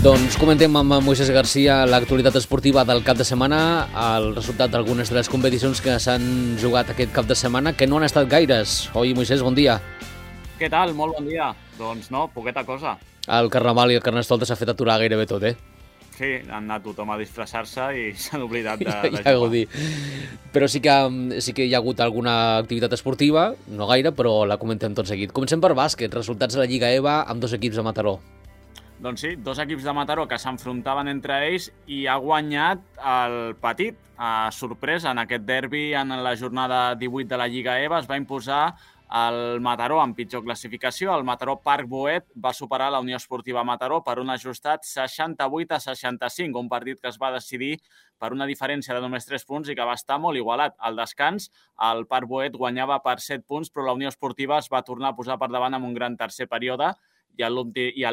Doncs comentem amb Moisés Garcia l'actualitat esportiva del cap de setmana, el resultat d'algunes de les competicions que s'han jugat aquest cap de setmana, que no han estat gaires. Oi, Moisés, bon dia. Què tal? Molt bon dia. Doncs no, poqueta cosa. El Carnaval i el Carnestoltes s'ha fet aturar gairebé tot, eh? Sí, han anat tothom a disfressar-se i s'han oblidat de ja jugar. Però sí que hi ha hagut alguna activitat esportiva, no gaire, però la comentem tot seguit. Comencem per bàsquet, resultats de la Lliga EVA amb dos equips de Mataró. Doncs sí, dos equips de Mataró que s'enfrontaven entre ells i ha guanyat el Petit. Sorpresa, en aquest derbi, en la jornada 18 de la Lliga EVA, es va imposar el Mataró amb pitjor classificació. El Mataró Parc Boet va superar la Unió Esportiva Mataró per un ajustat 68-65, un partit que es va decidir per una diferència de només 3 punts i que va estar molt igualat. Al descans, el Parc Boet guanyava per 7 punts, però la Unió Esportiva es va tornar a posar per davant amb un gran tercer període i a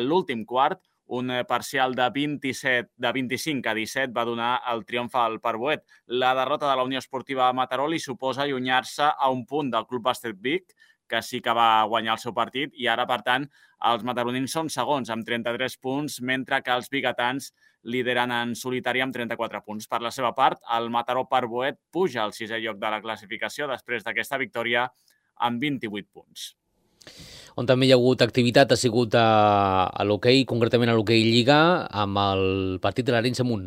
l'últim quart, un parcial de 25-17 va donar el triomf al Parc Boet. La derrota de la Unió Esportiva Mataró li suposa allunyar-se a un punt del Club Bàsquet Vic, que sí que va guanyar el seu partit, i ara, per tant, els mataronins són segons amb 33 punts, mentre que els biguetans lideren en solitari amb 34 punts. Per la seva part, el Mataró Parc Boet puja al 6è lloc de la classificació després d'aquesta victòria amb 28 punts. On també hi ha hagut activitat ha sigut a l'hoquei, concretament a l'hoquei Lliga, amb el partit de l'Arenys de Munt.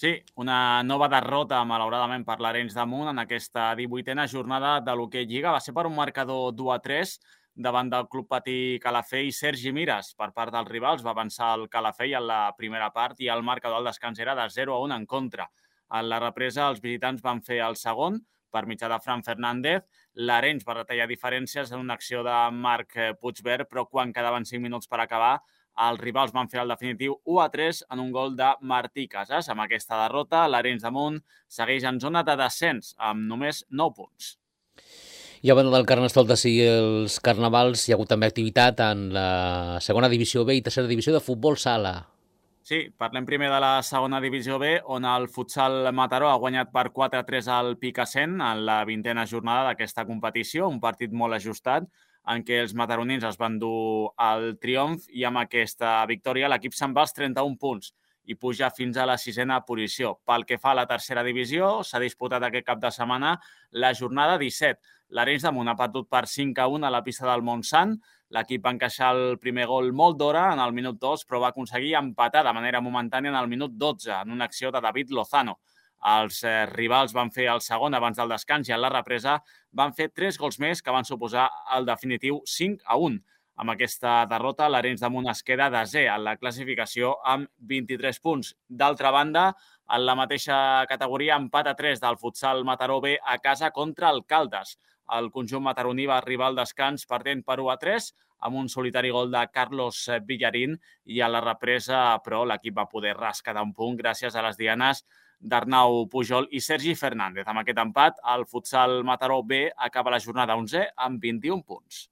Sí, una nova derrota, malauradament, per l'Arenys de Munt en aquesta 18a jornada de l'hoquei Lliga. Va ser per un marcador 2-3 davant del Club Patí Calafell i Sergi Mires. Per part dels rivals va avançar el Calafell en la primera part i el marcador al descans era de 0-1 en contra. En la represa, els visitants van fer el segon per mitjà de Fran Fernández. L'Arenys va retallar diferències en una acció de Marc Puigvert, però quan quedaven 5 minuts per acabar, els rivals van fer el definitiu 1-3 en un gol de Martí Casas. Amb aquesta derrota, l'Arenys de Munt segueix en zona de descens, amb només 9 punts. I a banda del Carnestoltes i els Carnavals, hi ha hagut també activitat en la segona divisió B i tercera divisió de futbol sala. Sí, parlem primer de la segona divisió B, on el futsal Mataró ha guanyat per 4-3 al Picassent en la 20a jornada d'aquesta competició, un partit molt ajustat en què els mataronins es van dur el triomf i amb aquesta victòria l'equip se'n va als 31 punts i puja fins a la 6a posició. Pel que fa a la tercera divisió, s'ha disputat aquest cap de setmana la jornada 17. L'Arenys de Munt ha perdut per 5-1 a la pista del Montsant. L'equip va encaixar el primer gol molt d'hora en el minut 2, però va aconseguir empatar de manera momentània en el minut 12 en una acció de David Lozano. Els rivals van fer el segon abans del descans i en la represa van fer 3 gols més que van suposar el definitiu 5-1. Amb aquesta derrota, l'Arenys de Munt es queda desè en la classificació amb 23 punts. D'altra banda, en la mateixa categoria, empat a 3 del futsal Mataró B a casa contra el Caldes. El conjunt mataroní va arribar al descans perdent per 1-3 amb un solitari gol de Carlos Villarín i a la represa, però, l'equip va poder rescatar un punt gràcies a les dianes d'Arnau Pujol i Sergi Fernández. Amb aquest empat, el futsal Mataró B acaba la jornada 11 amb 21 punts.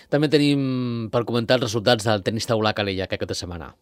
També tenim per comentar els resultats del tenis taulà Calella aquesta setmana.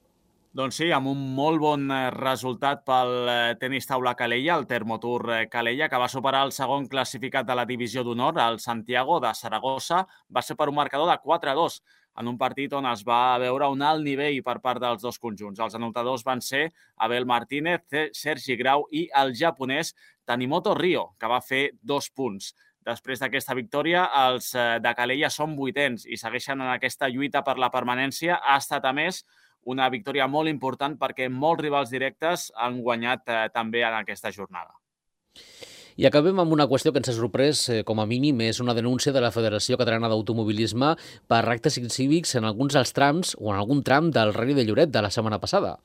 Doncs sí, amb un molt bon resultat pel tenis taula Calella, el Termotour Calella, que va superar el segon classificat de la divisió d'honor, el Santiago de Saragossa, va ser per un marcador de 4-2, en un partit on es va veure un alt nivell per part dels dos conjunts. Els anotadors van ser Abel Martínez, Sergi Grau i el japonès Tanimoto Rio, que va fer 2 punts. Després d'aquesta victòria, els de Calella són 8ens i segueixen en aquesta lluita per la permanència. Ha estat, a més, una victòria molt important perquè molts rivals directes han guanyat també en aquesta jornada. I acabem amb una qüestió que ens ha sorprès, com a mínim, és una denúncia de la Federació Catalana d'Automobilisme per actes incívics en alguns dels trams o en algun tram del Rally de Lloret de la setmana passada.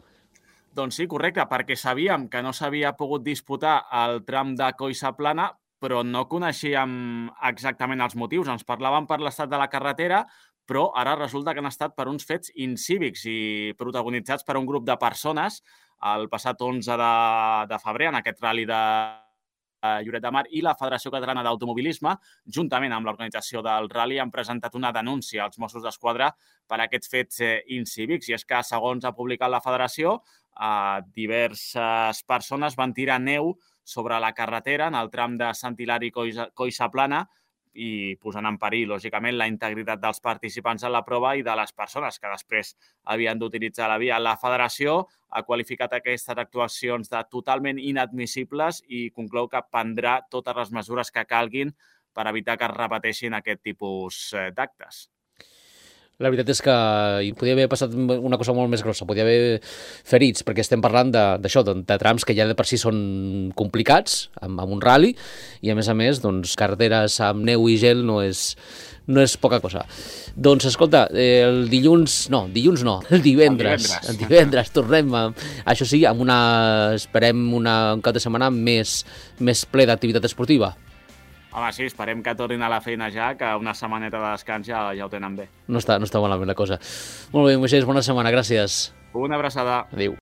Doncs sí, correcte, perquè sabíem que no s'havia pogut disputar el tram de Collsaplana, però no coneixíem exactament els motius. Ens parlaven per l'estat de la carretera, però ara resulta que han estat per uns fets incívics i protagonitzats per un grup de persones el passat 11 de febrer en aquest rally de Lloret de Mar, i la Federació Catalana d'Automobilisme, juntament amb l'organització del rally, han presentat una denúncia als Mossos d'Esquadra per aquests fets incívics. I és que, segons ha publicat la Federació, diverses persones van tirar neu sobre la carretera en el tram de Sant Hilari-Collsaplana i posant en perill, lògicament, la integritat dels participants en la prova i de les persones que després havien d'utilitzar la via. La federació ha qualificat aquestes actuacions de totalment inadmissibles i conclou que prendrà totes les mesures que calguin per evitar que es repeteixin aquest tipus d'actes. La veritat és que hi podia haver passat una cosa molt més grossa, podia haver ferits, perquè estem parlant d'això, de trams que ja de per si són complicats, amb un rally, i a més, doncs, carreteres amb neu i gel no és poca cosa. Doncs, escolta, el divendres tornem, això sí, amb esperem un cap de setmana més ple d'activitat esportiva. Home, sí, esperem que tornin a la feina ja, que una setmaneta de descans ja ho tenen bé. No està malament la cosa. Molt bé, Moisés, bona setmana, gràcies. Una abraçada. Adéu.